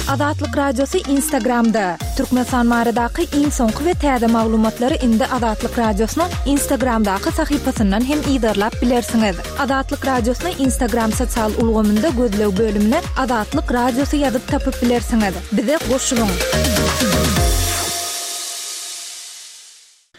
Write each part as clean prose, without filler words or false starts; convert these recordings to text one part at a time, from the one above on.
Azatlyk Radiosy Instagramda, Türkmenistan baradaky iň soňky we täze maglumatlary indi Azatlyk Radiosynyň Instagramdaky sahypasyndan hem yzarlap bilersiňiz. Azatlyk Radiosyny Instagram sosial ulgamynda gözleg bölümine Azatlyk Radiosy ýazyp tapyp bilersiňiz. Bize goşulyň!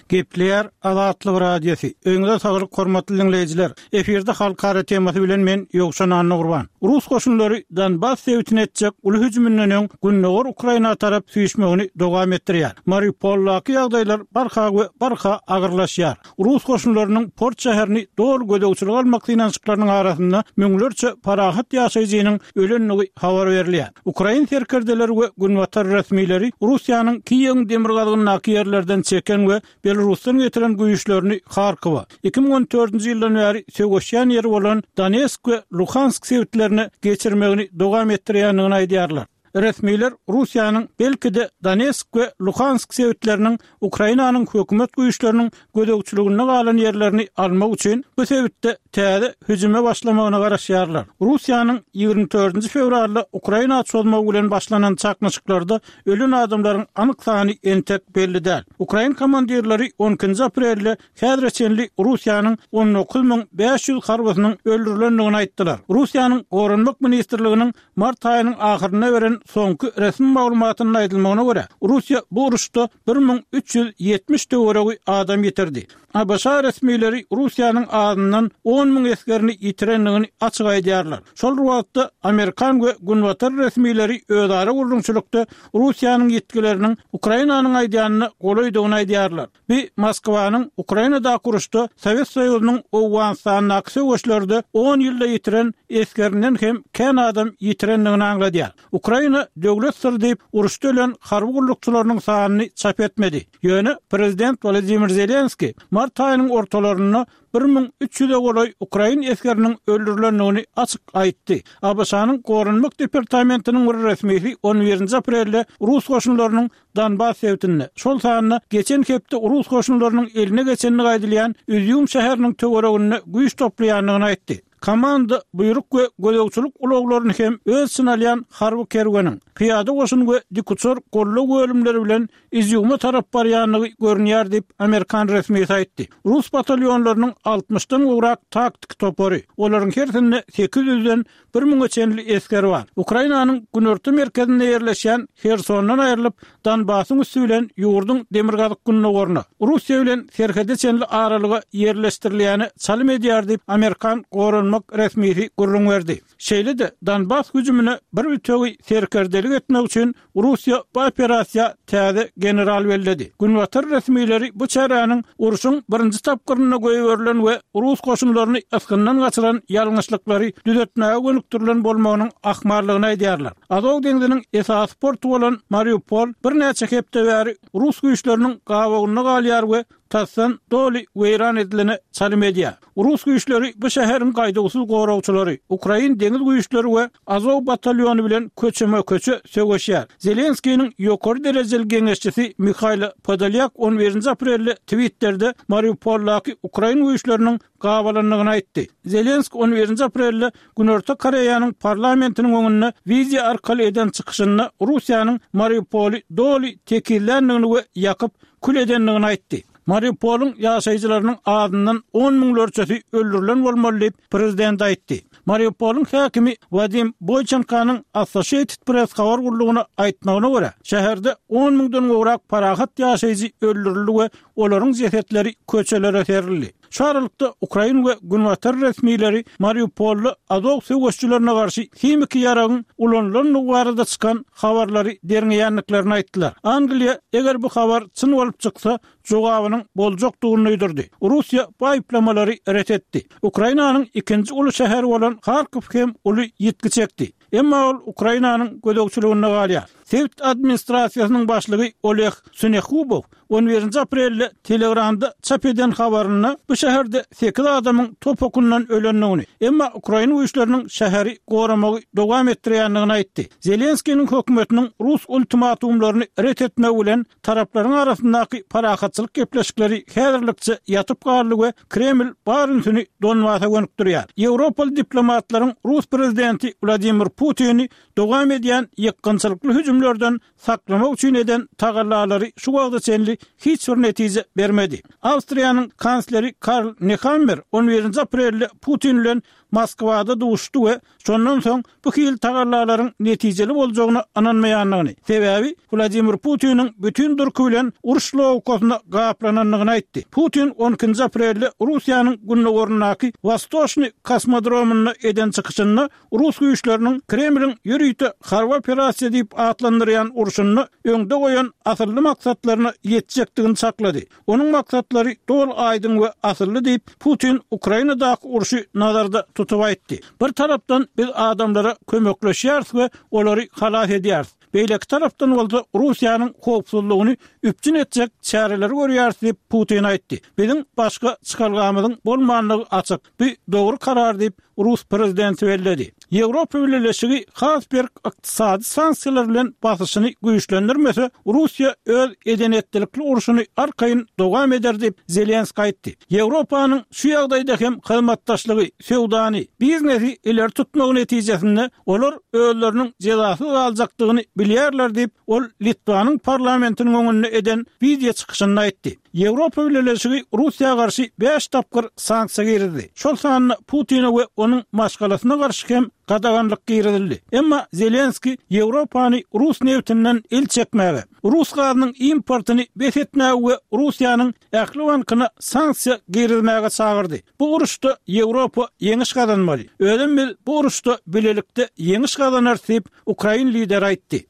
Gepleýär Azatlyk Radiosy. Öýüňize saglyk hormatly diňleýjiler. Efirde halkara temasy bilen men Ýowşan Annagurban. Rus goşunlary Donbas sebitine etjek uly hüjüminden öň gündogar Ukraina tarap süýşmegini dowam etdirýär. Mariupoldaky ýagdaýlar barha we barha agyrlaşýar. Rus goşunlarynyň port şäherini doly gözegçilige almak synanyşyklarynyň arasynda müňlerçe parahat ýaşaýjynyň ölendigi habar berilýär. Ukrain serkerdeleri we günbatar resmileri Russiýanyň Kiýewiň demirgazygyndaky ýerlerden çeken we Belarusdan getiren güýçlerini Harkowa, 2014-nji ýyldan bäri söweşýän ýeri bolan Donetsk we Luhansk sebitlerine geçirmegini dowam etdirýändigini aýdýarlar. Resmiler Russiýanyň belki-de Donetsk we Luhansk sebitleriniň Ukrainanyň hökümet güýçleriniň gözegçiliginde galan ýerlerini almak üçin bu sebitde täze hüjüme başlamagyna garaşýarlar. Russiýanyň 24 nji fewralda Ukraina çozmagy bilen başlanan çaknyşyklarda ölen adamlaryň anyk sany entek belli däl. Ukrain komandirleri on ikinji aprelde häzire çenli Russiýanyň 19 500 harbysynyň öldürilendigini aýtdylar. Russiýanyň Goranmak ministrliginiň Mart aýynyň ahyrynda beren soňky resmi maglumatynda aýdylmagyna görä, Russiýa bu uruşda 1370 töweregi adam ýitirdi. ABŞ resmileri Russiýanyň azyndan 10 000 esgerini ýitirendigini açyk aýdýarlar. Şol bir wagtda, amerikan we günbatar resmileri özara gürrüňçilikde Russiýanyň ýitgileriniň Ukrainanyň aýdýanyna golaýdygyny aýdýarlar. Bu Moskwanyň Ukrainadaky uruşda Sowet Soýuzynyň Owganystandaky söweşlerde on ýylda ýitiren esgerinden hem kän adam ýitirendigini aňladýar. Ukraina döwlet syry diýip, uruşda ölen harby gullukçylarynyň sanyny çap etmedi. Ýöne prezident Wolodymyr Zelenskiý mart aýynyň ortalarynda 1300-e golaý ukrain esgeriniň öldürilendigini açyk aýtdy. ABŞ-nyň Goranmak departamentiniň bir resmisi on birinji aprelde rus goşunlarynyň Donbas sebitinde, şol sanda geçen hepde rus goşunlarynyň eline geçendigi aýdylýan Izýum şäheriniň töwereginde güýç toplaýandygyny aýtdy. Komanda, buýruk we gözegçilik ulaglaryny hem öz içine alýan harby kerweniň, pyýada goşun we dikuçar goldaw bölümleri bilen Izýuma tarap barýandygy görünýär diýip, amerikan resmisi aýtdy. Rus batalýonlarynyň altmyşdan gowrak taktiki topary, olaryň hersinde sekiz ýüzden Bir müňe çenli esger bar. Ukrainanyň günorta merkezinde ýerleşýän Hersondan aýrylyp, Donbasyň üsti bilen ýurduň demirgazyk-gündogaryna, Russiýa bilen serhede çenli aralyga ýerleşdirilýäne çalym edýär diýip, amerikan goranmak resmisi gürrüň berdi. Şeýle-de, Donbas hüjümine bir bitewi serkerdelik etmek üçin Russiýa bu operasiýa täze general belledi. Günbatar resmileri bu çäräniň urşuň birinji tapgyrynda goýberilen we rus goşunlaryny ysgyndan gaçyran ýalňyşlyklary düzetmäge gönükdirilen bolmagynyň ahmallygyny aýdýarlar. Azow deňziniň esasy porty bolan Mariupol birnäçe hepde bäri rus güýçleriniň gabawynda galýar we tasdan doly weýran edilene çalym edýär. Rus güýçleri bu şäheriň gaýduwsyz goragçylary, ukrain deňiz güýçleri we Azow batalýony bilen köçeme-köçe söweşýär. Zelenskiniň ýokary derejeli geňeşçisi Mihaýlo Podolýak on birinji aprelde Twitterde Mariupoldaky ukrain güýçleriniň gabalandygyny aýtdy. Zelenski on birinji aprelde Günorta Koreýanyň parlamentiniň öňünde wideo arkaly eden çykyşynda Russiýanyň Mariupoly doly tekizländigini we ýakyp, kül edendigini aýtdy. Mariupolyň ýaşaýjylarynyň azyndan on müňlerçesi öldürilen bolmaly diýip, prezident aýtdy. Mariupolyň häkimi Wadim Boýçenkonyň Associated Press habar gullugyna aýtmagyna görä, şäherde on müňden gowrak parahat ýaşaýjy öldürildi we olaryň jesetleri köçelere serildi. Şu aralykda, ukrain we günbatar resmileri Mariupolda Azow söweşçilerine garşy himiki ýaragyň ulanylandygy barada çykan habarlary derňeýändiklerini aýtdylar. Angliýa, eger bu habar çyn bolup çyksa, jogabynyň boljakdygyny duýdurdy. Russiýa bu aýyplamalary ret etdi. Ukrainanyň ikinji uly şäheri bolan Harkow hem uly ýitgi çekdi. Emma ol Ukrainanyň gözegçiliginde galýar. Sebit administrasiýasynyň başlygy Oleg Synehubow on birinji aprelde Telegramda çap eden habarynda bu şäherde sekiz adamyň top okundan ölendigini, emma ukrain güýçleriniň şäheri goramagy dowam etdirýändigini aýtdy. Zelenskiniň hökümetiniň rus ultimatumlaryny ret etmegi bilen Taraplaryň arasyndaky parahatçylyk gepleşikleri häzirlikçe ýatyp galdy we Kreml bar ünsüni Donbasa gönükdirýär. Ýewropaly diplomatlaryň rus prezidenti Wladimir. Putini dowam edýän ýykgynçylykly hüjümlerden saklamak üçin eden tagallalary şu wagta çenli hiç bir netije bermedi. Awstriýanyň kansleri Karl Nehammer on birinji aprelde Putin bilen Moskwada duşuşdy we şondan soň bu hili tagallalaryň netijeli boljagyna ynanmaýandygyny, sebäbi Wladimir Putiniň bütin durky bilen uruş logikasyna gaplanandygyny aýtdy. Putin on ikinji aprelde Russiýanyň gündogaryndaky Wostoçnyý kosmodromynda eden çykyşynda rus güýçleriniň Kremliň ýörite harby operasiýa diýip atlandyrýan urşunda öňde goýan asylly maksatlaryna ýetjekdigini çaklady. Onuň maksatlary doly aýdyň we asylly diýip, Putin Ukrainadaky urşy nazarda tutup aýtdy. Bir tarapdan biz adamlara kömekleşýäris we olary halas edýäris. Beýleki tarapdan bolsa Russiýanyň howpsuzlygyny üpjün etjek çäreleri görýäris diýip, Putin aýtdy. Biziň başga çykalgamyzyň bolmandygy açyk. Bu dogry karar diýip, rus prezidenti belledi. Ýewropa Bileleşigi has berk ykdysady sanksiýalar bilen basyşyny güýçlendirmese, Russiýa öz eden-etdilikli urşuny arkaýyn dowam eder diýip, Zelenskiý aýtdy. Ýewropanyň şu ýagdaýda hem hyzmatdaşlygy, söwdany, biznesi ileri tutmagy netijesinde olar özleriniň jezasyz galjakdygyny bilýärler diýip, ol Litwanyň parlamentiniň öňünde eden wideo çykyşynda aýtdy. Ýewropa Bileleşigi Russiýa garşy bäş tapgyr sanksiýa girizdi. Şol sanda Putine we onuň maşgalasyna garşy hem gadaganlyk girizildi. Emma Zelenskiý Ýewropany rus nebtinden el çekmäge, rus gazynyň importyny bes etmäge we Russiýanyň ähli bankyna sanksiýa girizmäge çagyrdy. Bu uruşda Ýewropa ýeňiş gazanmaly. Özem biz bu uruşda bilelikde ýeňiş gazanarys diýip, ukrain lideri aýtdy.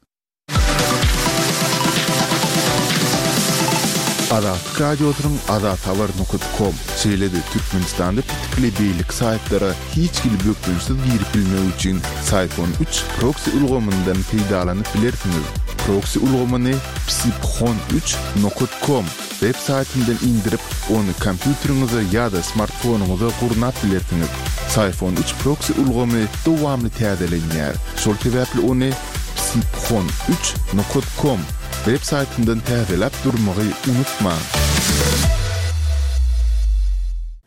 Azatlyk Radiosynyň Azathabar nokat kom, şeýle-de Türkmenistanda petikli beýleki saýtlara hiç hili bökdençsiz girip bilmek üçin Syfon üç proksi ulgamyndan peýdalanyp bilersiňiz. Proksi ulgamyny psiphon üç nokat kom web saýtyndan indirip, ony kompýuteriňize ýa-da smartfonyňyza gurnap bilersiňiz. Syfon üç proksi ulgamy dowamly täzelenýär, şol sebäpli ony psiphon üç nokat kom web saýtyndan täzeläp durmagy unutmaň.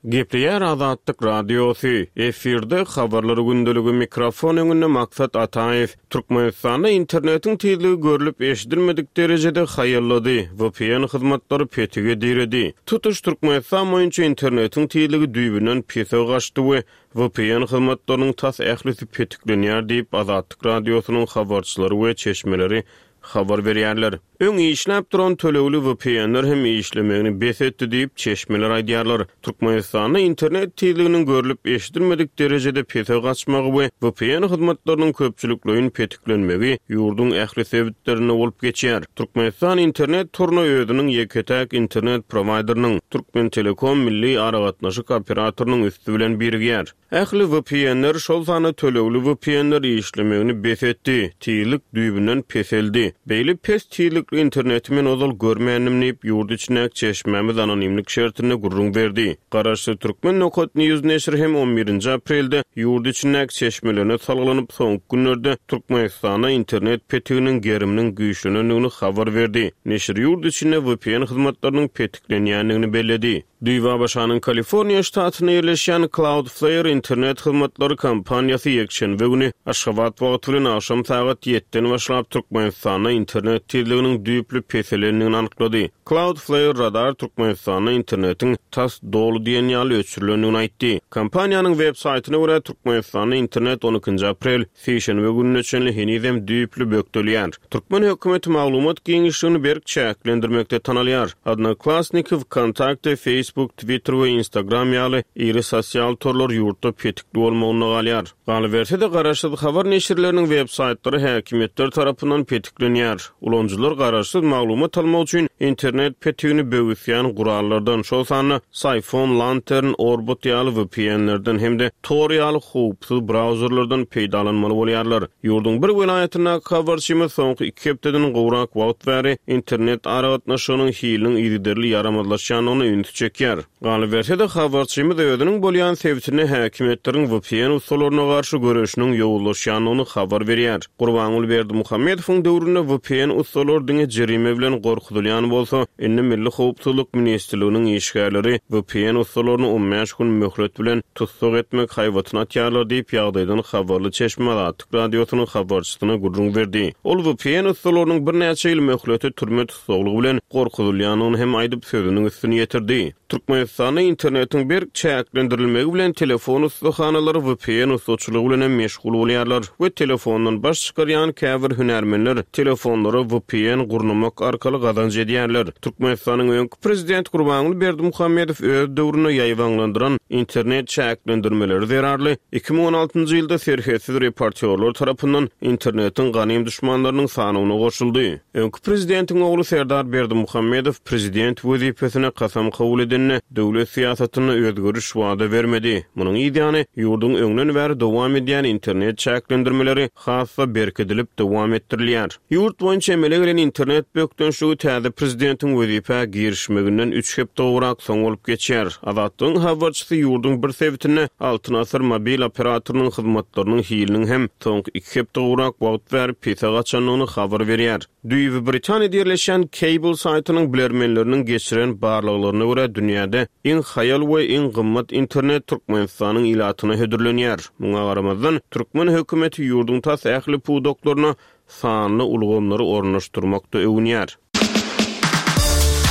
Gepleýär Azatlyk Radiosy, efirde Habarlar gündeligi mikrofon öňünde Maksat Ataýew. Türkmenistanda internetiň tizligi görlüp-eşidilmedik derejede haýallady, vpn hyzmatlary petige diredi. Tutuş Türkmenistan boýunça internetiň tizligi düýbünden pese gaçdy we Vpn hyzmatlarynyň tas ählisi petiklenýär diýip, Azatlyk Radiosynyň habarçylary we çeşmeleri habar berýärler. Öň işläp duran tölegli VPN-ler hem işlemegini bes etdi diýip, çeşmeler aýdýarlar. Türkmenistanda internet tizliginiň görlüp-eşidilmedik derejede pese gaçmagy we vpn hyzmatlarynyň köpçülikleýin petiklenmegi ýurduň ähli sebitlerinde bolup geçýär. Türkmenistan internet toruna özüniň ýeke-täk internet prowaýderiniň, Türkmentelekom milli aragatnaşyk operatorynyň üsti bilen birigýär. Ähli VPN-ler, şol sanda tölegli VPN-ler işlemegini bes etdi, tizlik düýbünden peseldi. Beýle pes tizlikli interneti men ozal görmändim diýip, ýurt içindäki çeşmämiz anonimlik şertinde gürrüň berdi. Garaşsyz Türkmen Nokat News neşiri hem on birinji aprelde ýurt içindäki çeşmelerine salgylanyp, soňky günlerde Türkmenistanda internet petiginiň geriminiň güýçlenendigini habar berdi. Neşir ýurt içinde vpn hyzmatlarynyň petiklenýändigini belledi. Düýbi ABŞ-nyň Kaliforniýa ştatynda ýerleşýän Cloudflare internet hyzmatlary kompaniýasy ýekşenbe güni Aşgabat wagty bilen agşam sagat ýetden başlap Türkmenistanda internet tizliginiň düýpli peselendigini anyklady. Cloudflare Radar Türkmenistanda internetiň tas doly diýen ýaly öçürilendigini aýtdy. Kompaniýanyň web saýtyna görä, Türkmenistanda internet on ikinji aprel, sişenbe gününe çenli henizem düýpli bökdelýär. Türkmen hökümeti maglumat giňişligini berk çäklendirmekde tanalýar. Odnoklassniki, Wkontakte, Facebook, Twitter we Instagram ýaly iri sosial torlar ýurtda petikli bolmagynda galýar. Galyberse-de, garaşsyz habar neşirleriniň web saýtlary häkimiýetler tarapyndan petiklenýär. Ulanyjylar garaşsyz maglumat almak üçin internet petigini böwüsýän gurallardan, şol sanda Syphon, Lantern, Orbot ýaly VPN-lerden hem-de Tor ýaly howpsuz brauzerlerden peýdalanmaly bolýarlar. Ýurduň bir welaýatyndaky habarçymyz soňky iki hepdeden gowrak wagt bäri internet aragatnaşygynyň hiliniň yzygiderli ýaramazlaşýandygyna ünsi çekýär. çekýär. Galyberse-de, habarçymyz özüniň bolýan sebitinde häkimiýetleriň vpn ussalaryna garşy göreşiniň ýowuzlaşýandygyny habar berýär. Gurbanguly Berdimuhamedowyň döwründe vpn ussalary diňe jerime bilen gorkuzylýan bolsa, indi Milli howpsuzlyk ministrliginiň işgärleri vpn ussalaryny on bäş gün möhlet bilen tussag etmek haýbatyny atýarlar diýip, ýagdaýdan habarly çeşme Azatlyk Radiosynyň habarçysyna gürrüň berdi. Ol vpn ussalarynyň birnäçe ýyl möhlete türme tussaglygy bilen gorkuzylýandygyny hem aýdyp, sözüniň üstüni ýetirdi. Türkmenistanda internetiň berk çäklendirilmegi bilen telefon ussahanalary vpn ussaçylygy bilen hem meşgul bolýarlar we telefondan baş çykarýan käbir hünärmenler telefonlara vpn gurnamak arkaly gazanç edýärler. Türkmenistanyň öňki prezidenti Gurbanguly Berdimuhamedow öz döwründe ýaýbaňlandyran internet çäklendirmeleri zerarly 2016-njy ýylda Serhetsiz reportýorlar tarapyndan internetiň ganym duşmanlarynyň sanawyna goşuldy. Öňki prezidentiň ogly Serdar Berdimuhamedow prezident wezipesine kasam kabul edende, döwlet syýasatynda özgeriş wada bermedi. Munuň yz ýany, ýurduň öňden bäri dowam edýän internet çäklendirmeleri has-da berkidilip dowam etdirilýär. Ýurt boýunça emele gelen internet bökdençligi täze prezidentiň wezipä girişmeginden üç hepde gowrak soň bolup geçýär. Azatlygyň habarçysy ýurduň bir sebitinde Altyn Asyr mobil operatorynyň hyzmatlarynyň hiliniň hem soňky iki hepde gowrak wagt bäri pese gaçandygyny habar berýär. Düýbi Britaniýada ýerleşýän Cable saýtynyň bilermenleriniň geçiren barlaglaryna görä, dünýäde iň haýal we iň gymmat internet Türkmenistanyň ilatyna hödürlenýär. Muňa garamazdan, türkmen hökümeti ýurduň tas ähli pudaklaryna sanly ulgamlary ornaşdyrmakda öwünýär.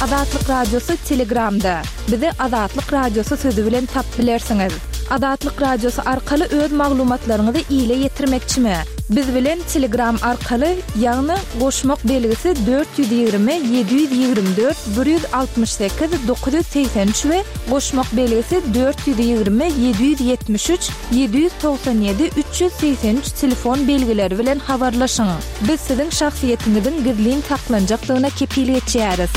Azatlyk Radiosy Telegramda. Bizi Azatlyk Radiosy sözi bilen tap bilersiňiz. Azatlyk Radiosy arkaly öz maglumatlaryňyzy ile ýetirmekçimi? Biz bilen Telegram arkaly, ýagny goşmak belgisi 420 724 168 983 we goşmak belgisi 420 773 797 383 telefon belgileri bilen habarlaşyň. Biz siziň şahsyýetiňiziň gizlin saklanjakdygyna kepil geçýäris.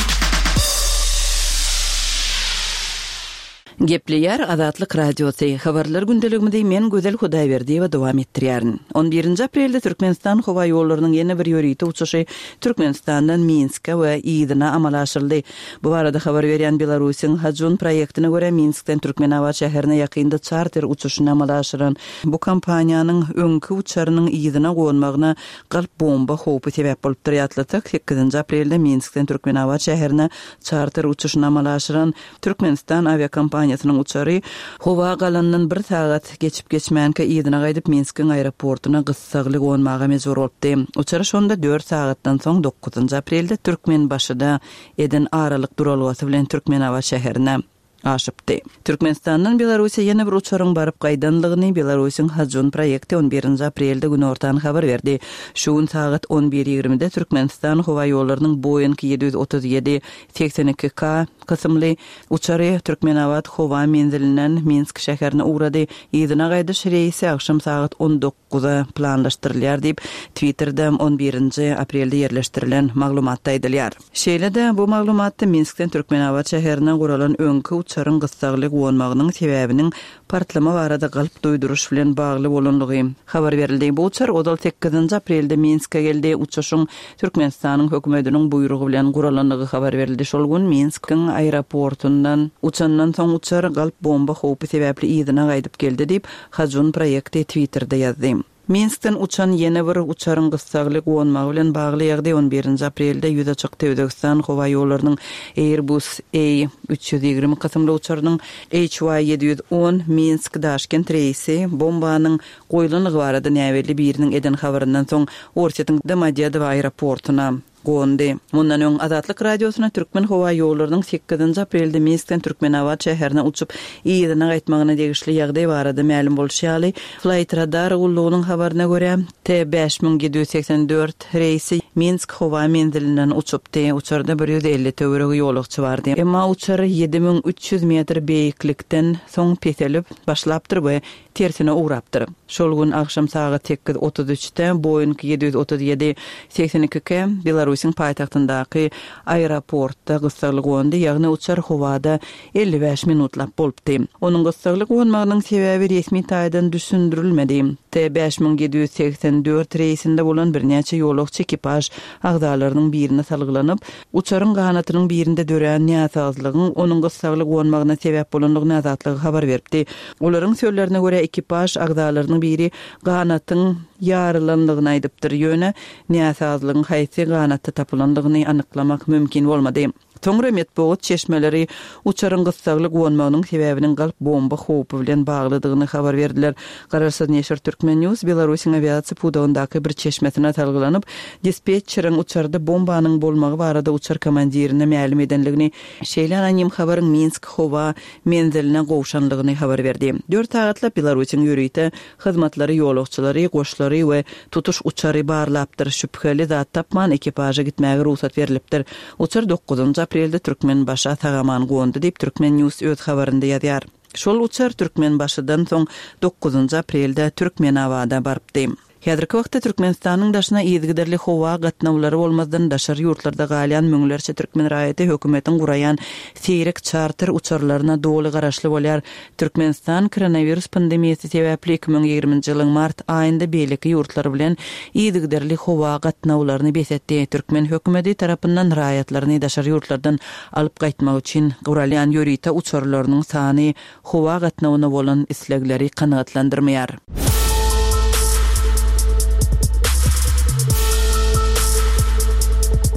Gepleýär Azatlyk Radiosy, Habarlar gündeligimizi men Gözel Hudaýberdiýewa dowam etdirýärin. On birinji aprelde Türkmenistan howaýollarynyň ýene bir ýörite uçuşy Türkmenistandan Minske we yzyna amala aşyryldy. Bu barada habar berýän Belarusyň Hajun proýektine görä, Minskden Türkmenabat şäherine ýakynda çarter uçuşyny amala aşyran bu kompaniýanyň öňki uçarynyň yzyna gonmagyna galp bomba howpy sebäp bolupdyr. Ýatlatsak, sekizinji aprelde Minskden Türkmenabat şäherine çarter uçuşyny amala aşyran Türkmenistan awiakompaniýasynyň uçary howa galandan bir sagat geçip-geçmänkä yzyna gaýdyp Minskiň aeroportuna gyssagly gonmaga mejbur bolupdy. Uçar şonda dört sagatdan soň dokuzynjy aprelde Türkmenbaşyda eden aralyk duralgasy bilen Türkmenabat şäherine aşypdy. Türkmenistandan Belarussiýa ýene bir uçaryň baryp gaýdanlygyny Belarusyň Hajun proýekti on birinji aprelde günortan habar berdi. Şu gün sagat on bir ýigrimide Türkmenistan howaýollarynyň Boeing 737, 82 K kysymly uçary Türkmenabat howa menzilinden Minsk şäherine ugrady. Yzyna gaýdyş reýsi agşam sagat on dokuza planlaşdyrylýar diýip, Twitterde on birinji aprelde ýerleşdirilen maglumatda aýdylýar. Şeýle-de, bu maglumatda Minskden Türkmenabat şäherine guralan öňki uçaryň gyssagly gonmagynyň sebäbiniň partlama barada galp duýduryş bilen bagly bolanlygy habar berildi. Bu uçar ozal sekizinji aprelde Minske geldi. Uçuşyň Türkmenistanyň hökümetiniň buýrugy bilen guralandygy habar berildi. Şol gün Minskiň aeroportundan uçandan soň uçar galp bomba howpy sebäpli yzyna gaýdyp geldi diýip, Hajun proýekti Twitterde ýazdy. Minskden uçan ýene bir uçaryň gyssagly gonmagy bilen bagly ýagdaý on birinji aprelde ýüze çykdy. Özbegistan howaýollarynyň Airbus A 320 kysymly uçarynyň HY 710 Minsk, Daşkent reýsi bombanyň goýlandygy barada näbelli biriniň eden habaryndan soň Orsýetiň Domodedowo aeroportuna gondy. Mundan öň, Azatlyk Radiosyna Türkmenhowaýollarynyň sekizinji aprelde Minskden Türkmenabat şäherine uçup, yzyna gaýtmagyna degişli ýagdaý barada mälim bolşy ýaly, Flightradar gullugynyň habaryna görä, T 5784 reýsi Minsk howa menzilinden uçupdy. Uçarda 150 töweregi ýolagçy bardy. Emma uçar 7300 metr beýiklikden soň peselip başlapdyr we tersine ugrapdyr. Şol gün agşam sagat sekiz otuz üçde Boeing 737, 82 K Belarusiýa. Belarusyň paýtagtyndaky aeroportda gyssagly gondy, ýagny uçar howada 55 minutlap bolupdy. Onuň gyssagly gonmagynyň sebäbi resmi taýdan düşündirilmedi. T 5784 reýsinde bolan birnäçe ýolagçy ekipaž agzalarynyň birine salgylanyp, uçaryň ganatynyň birinde dörän näsazlygyň onuň gyssagly gonmagyna sebäp bolandygyny Azatlyga habar beripdi. Olaryň sözlerine görä, ekipaž agzalarynyň biri ganatyň ýarylandygyny aýdypdyr, ýöne näsazlygyň haýsy ganatda tapylandygyny anyklamak mümkin bolmady. Soňra metbugat çeşmeleri uçaryň gyssagly gonmagynyň sebäbiniň galp bomba howpy bilen baglydygyny habar berdiler. Garaşsyz neşir Turkmen News Belarusyň awiasiýa pudagyndaky bir çeşmesine salgylanyp, dispetçeriň uçarda bombanyň bolmagy barada uçar komandirine mälim edenligini, şeýle anonim habaryň Minsk howa menziline gowşanlygyny habar berdi. Dört sagatlap Belarusyň ýörite hyzmatlary ýolagçylary, goşlary we tutuş uçary barlapdyr, şübheli zat tapman ekipaža gitmäge rugsat berlipdir. Uçar dokuzynjy aprelde Türkmenbaşa sag-aman gondy diýip, Turkmen News öz habarynda ýazýar. Şol uçar Türkmenbaşydan soň dokuzynjy aprelde Türkmenabada barypdy. Häzirki wagtda Türkmenistanyň daşyna yzygiderli howa gatnawlary bolmazdan daşary ýurtlarda galýan müňlerçe türkmen raýaty hökümetiň guraýan seýrek çarter uçarlaryna doly garaşly bolýar. Türkmenistan koronawirus pandemiýasy sebäpli 2020-nji ýylyň mart aýynda beýleki ýurtlar bilen yzygiderli howa gatnawlaryny bes etdi. Türkmen hökümeti tarapyndan raýatlaryny daşary ýurtlardan alyp gaýtmak üçin guralýan ýörite uçarlarynyň sany howa gatnawyna bolan islegleri kanagatlandyrmaýar.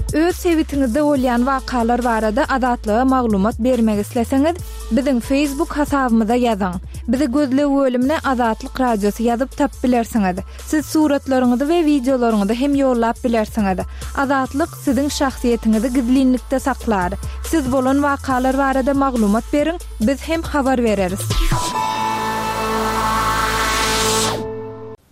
Öz sebitiňizde bolýan wakalar barada Azatlyga maglumat bermek isleseňiz, biziň Facebook hasabymyza ýazyň. Bizi gözleg bölümine Azatlyk Radiosy ýazyp tapyp bilersiňiz. Siz suratlaryňyzy we wideolaryňyzy hem ýollap bilersiňiz. Azatlyk siziň şahsyýetiňizi gizlinlikde saklar. Siz bolan wakalar barada maglumat beriň, biz hem habar bereris.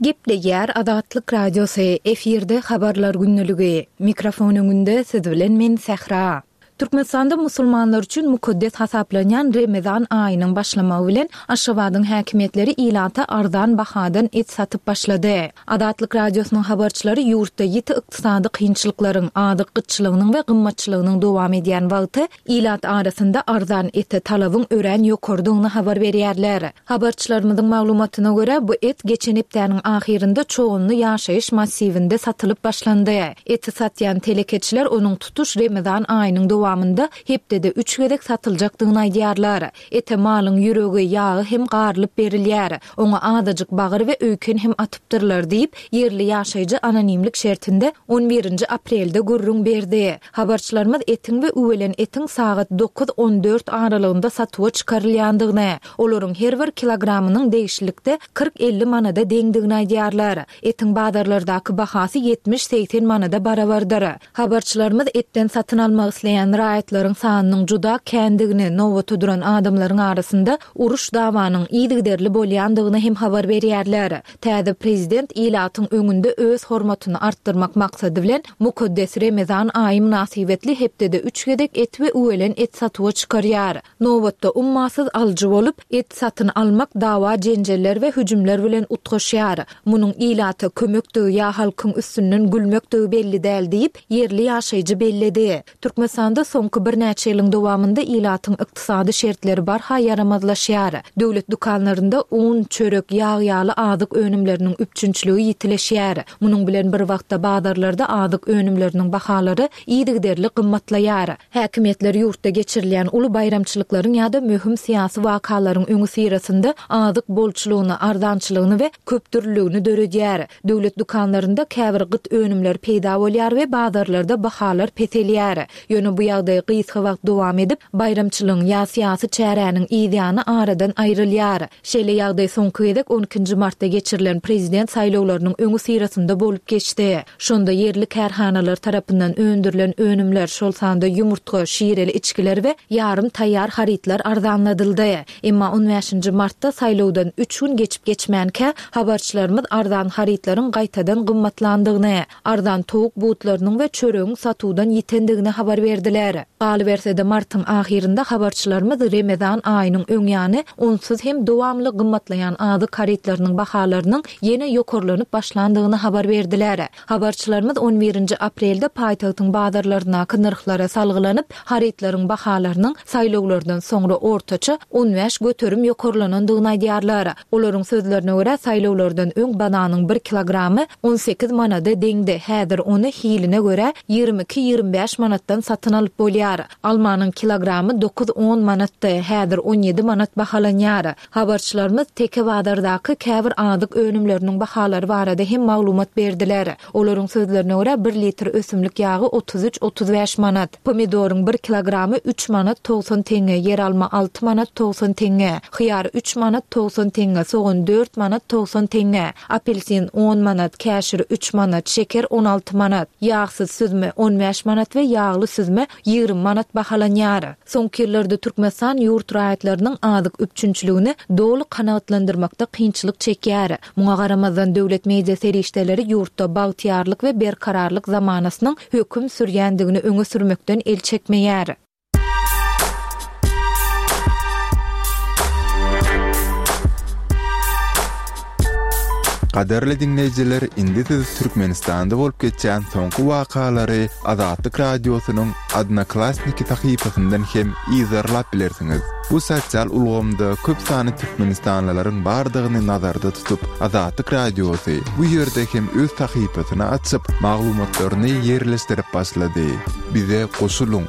Gepleýär Azatlyk Radiosy, efirde Habarlar gündeligi. Mikrofon öňünde siz bilen men Sähra. Türkmenistanda musulmanlar üçin mukaddes hasaplanýan Remezan aýynyň başlamagy bilen, Aşgabadyň häkimiýetleri ilata arzan bahadan et satyp başlady. Azatlyk Radiosynyň habarçylary ýurtda ýiti ykdysady kynçylyklaryň, azyk gytçylygynyň we gymmatçylygynyň dowam edýän wagty ilat arasynda arzan ete talabyň örän ýokarydygyny habar berýärler. Habarçylarymyzyň maglumatyna görä, bu et geçen hepdäniň ahyrynda Çoganly ýaşaýyş massiwinde satylyp başlandy. Eti satýan telekeçiler onuň tutuş Remezan aýynyň dowamynda hepdede üç gezek satyljakdygyny aýdýarlar. Ete malyň ýüregi, ýagy hem garylyp berilýär. Oňa azajyk bagyr we öýken hem atypdyrlar diýip, ýerli ýaşaýjy anonimlik şertinde on birinji aprelde gürrüň berdi. Habarçylarymyz etiň we üwelen etiň sagat dokuz, on dört aralygynda satuwa çykarylýandygyny, olaryň her bir kilogramynyň degişlilikde 40-50 manada deňdigini aýdýarlar. Etiň bazarlardaky bahasy 70-80 manada barabardyr. Habarçylarymyz etden satyn almak isleýän raýatlaryň sanynyň juda kändigini, nobata duran adamlaryň arasynda uruş-dawanyň yzygiderli bolýandygyny hem habar berýärler. Täze prezident ilatyň öňünde öz hormatyny artdyrmak maksady bilen, mukaddes Remezan aýy mynasybetli hepdede üç gezek et we üwelen et satuwa çykarýar. Nobatda ummasyz alyjy bolup, et satyn almak dawa-jenjeller we hüjümler bilen utgaşýar. Munuň ilata kömekdigi ýa halkyň üstünden gülmekdigi belli däl diýip, ýerli ýaşaýjy belledi. Türkmenistanda soňky birnäçe ýylyň dowamynda ilatyň ykdysady şertleri barha ýaramazlaşýar. Döwlet dükanlarynda un, çörek, ýag ýaly azyk önümleriniň üpjünçiligi ýitileşýär. Munuň bilen bir wagtda bazarlarda azyk önümleriniň bahalary yzygiderli gymmatlaýar. Häkimiýetler ýurtda geçirilýän uly baýramçylyklaryň ýa-da möhüm syýasy wakalaryň öňüsyrasynda azyk bolçulygyny, arzançylygyny we köpdürlüligini döredýär. Döwlet dükanlarynda käbir gyt önümler peýda bolýar we bazarlarda bahalar peselýär. Ýöne bu ýagdaý gysga wagt dowam edip, baýramçylygyň ýa syýasy çäräniň yzýany aradan aýrylýar. Şeýle ýagdaý soňky gezek on ikinji martda geçirilen prezident saýlawlarynyň öňüsyrasynda bolup geçdi. Şonda ýerli kärhanalar tarapyndan öndürilen önümler, şol sanda ýumurtga, şireli içgiler we ýarym taýýar harytlar arzanladyldy. Emma on bäşinji martda saýlawdan üç gün geçip-geçmänkä, habarçylarymyz arzan harytlaryň gaýtadan gymmatlandygyny, arzan towuk butlarynyň we çöregiň satuwdan ýitendigini habar berdiler. berdiler. Galyberse-de, martyň ahyrynda habarçylarymyz Remezan aýynyň öň ýany onsuz hem dowamly gymmatlaýan azyk harytlarynyň bahalarynyň ýene ýokarlanyp başlandygyny habar berdiler. Habarçylarymyz on birinji aprelde paýtagtyň bazarlaryndaky nyrhlara salgylanyp, harytlaryň bahalarynyň saýlawlardan soňra ortaça 15% ýokarlanandygyny aýdýarlar. Olaryň sözlerine görä, saýlawlardan öň bananyň bir kilogramy 18 manada deňdi, häzir ony hiline görä 22-25 manatdan satyn alyp bolýar. Almanyň kilogramy dokuz-on manatdy, häzir 17 manat bahalanýar. Habarçylarymyz Teke bazardaky käbir azyk önümleriniň bahalary barada hem maglumat berdiler. Olaryň sözlerine görä, bir litr ösümlik ýagy 33-35 manat, pomidoryň bir kilogramy üç manat 90 teňňe, ýeralma alty manat 90 teňňe, hyýar üç manat 90 teňňe, sogan dört manat 90 teňňe, apelsin on manat, käşir üç manat, şeker 16 manat, ýagsyz süzme 15 manat we ýagly süzme 20 manat bahalanýar. Soňky ýyllarda Türkmenistan ýurt raýatlarynyň azyk üpjünçiligini doly kanagatlandyrmakda kynçylyk çekýär. Muňa garamazdan, döwlet media serişdeleri ýurtda bagtyýarlyk we berkararlyk zamanasynyň höküm sürýändigini öňe sürmekden el çekmeýär. Gadyrly diňleýjiler, indi siz Türkmenistanda bolup geçýän soňky wakalary Azatlyk Radiosynyň Odnoklassniki sahypasyndan hem yzarlap bilersiňiz. Bu sosial ulgamda köp sanly türkmenistanlylaryň bardygyny nazarda tutup, Azatlyk Radiosy bu ýerde hem öz sahypasyny açyp, maglumatlaryny ýerleşdirip başlady. Bize goşulyň!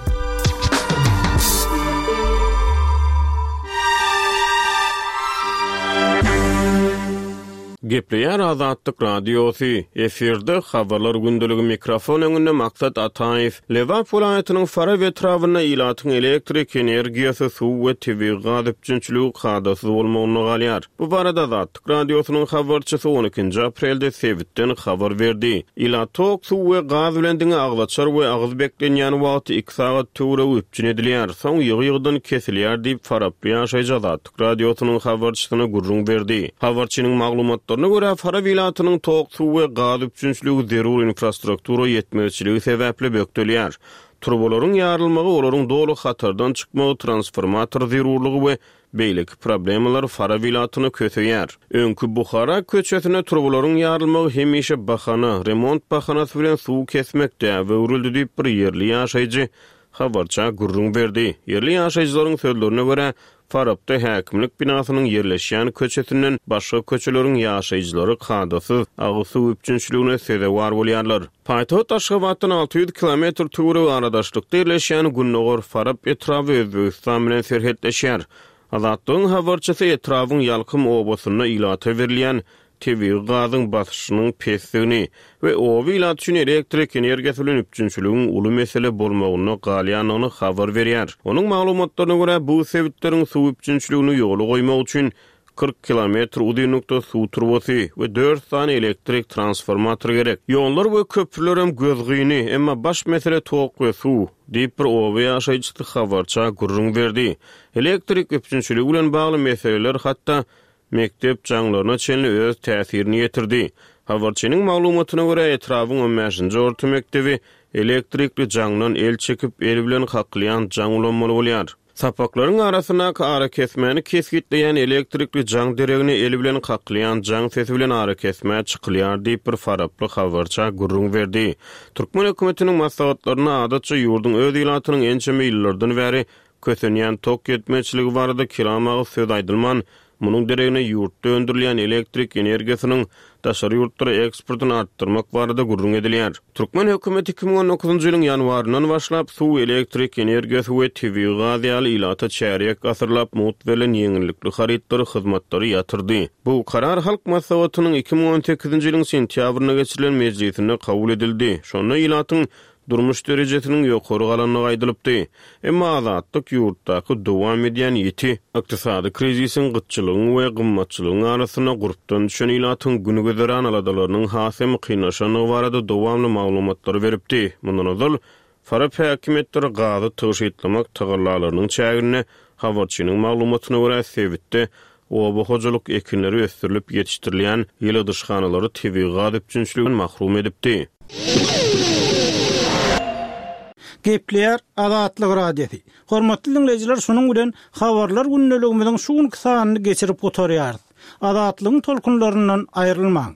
Gepleýär Azatlyk Radiosy, efirde Habarlar gündeligi mikrofon öňünde Maksat Ataýew. Lebap welaýatynyň Farap etrabynda ilatyň elektrik energiýasy, suw we tebigy gaz üpjünçiligi kadasyz bolmagynda galýar. Bu barada Azatlyk Radiosynyň habarçysy on ikinji aprelde sebitden habar berdi. Ilat tok, suw we gaz bilen diňe agzaçar we agyz beklenýän wagty iki sagat töweregi üpjün edilýär, soň ýygy-ýygydan kesilýär diýip, faraply ýaşaýjy Azatlyk Radiosynyň habarçysyna gürrüň berdi. Habarçynyň maglumatlaryna görä, Farap ilatynyň tok, suw we gaz üpjünçiligi zerur infrastruktura ýetmezçiligi sebäpli bökdelýär. Turbalaryň ýarylmagy, olaryň doly hatardan çykmagy, transformator zerurlygy we beýleki problemalar Farap ilatyny köseýär. Öňki Buhara köçesinde turbalaryň ýarylmagy hemişe bahana, remont bahanasy bilen suw kesmek däbe öwrüldi diýip, bir ýerli ýaşaýjy habarça gürrüň berdi. Ýerli ýaşaýjylaryň sözlerine görä, Farapda häkimlik binasynyň ýerleşýän köçesinden başga köçeleriň ýaşaýjylary kadasyz agyz suw üpjünçiligine sezewar bolýarlar. Paýtagt Aşgabatdan 600 kilometr töweregi aradaşlykda ýerleşýän Gündogar Farap etraby Özbegistan bilen serhetleşýär. Azatlygyň habarçysy etrabyň Ýalkym obasynda ilata berilýän tebigy gazyň basyşynyň pesdigini we oba ilaty üçin elektrik energiýasy bilen üpjünçiligiň uly mesele bolmagynda galýandygyny habar berýär. Onuň maglumatlaryna görä, bu sebitleriň suw üpjünçiligini ýola goýmak üçin 40 kilometr uzynlykda suw turbasy we dört sany elektrik transformatory gerek. Ýollar we köprülerem gözgyny, emma baş mesele tok we suw, diýip, bir oba ýaşaýjysy habarça gürrüň berdi. Elektrik üpjünçiligi bilen bagly meseleler hatda mekdep jaňlaryna çenli öz täsirini ýetirdi. Habarçynyň maglumatyna görä, etrabyň on bäşinji orta mekdebi elektrikli jaňdan el çekip, el bilen kakylýan jaň ulanmaly bolýar. Sapaklaryň arasyndaky arakesmäni kesgitleýän elektrikli jaň deregine el bilen kakylýan jaň sesi bilen arakesmä çykylýar diýip, bir faraply habarça gürrüň berdi. Türkmen hökümetiniň maslahatlarynda adatça ýurduň öz ilatynyň ençeme ýyllardan bäri Kösenýän tok ýetmezçiligi barada kelam agyz söz aýdylman, munuň deregine ýurtda öndürilýän elektrik energiýasynyň daşary ýurtlara eksportyny artdyrmak barada gürrüň edilýär. Türkmen hökümeti 2019-njy ýylyň ýanwaryndan başlap, suw, elektrik energiýasy we tebigy gaz ýaly ilata çärýek asyrlap mugt berlen ýeňillikli harytlary, hyzmatlary ýatyrdy. Bu karar Halk Maslahatynyň 2018-nji ýylyň sentýabrynda geçirilen mejlisinde kabul edildi. Şonda ilatyň durmuş derejesiniň ýokary galandygy aýdylypdy. Emma Azatlyk ýurtdaky dowam edýän ýiti ykdysady krizisiň, gytçylygyň we gymmatçylygyň arasynda gurpdan düşen ilatyň gün-güzeran aladalarynyň has hem kynlaşandygy barada dowamly maglumatlary beripdi. Mundan ozal, Farap häkimiýetleri gazy tygşytlamak tagallalarynyň çäginde, habarçynyň maglumatyna görä, sebitde oba hojalyk ekinleri ösdürilip ýetişdirilýän ýyladyşhanalary tebigy gaz üpjünçiliginden mahrum edipdi. Gepleýär Azatlyk Radiosy. Hormatly diňleýjiler şunuň bilen Habarlar gündeligimiziň şu günki sanyny geçirip gutarýarys. Azatlygyň tolkunlaryndan aýrylmaň.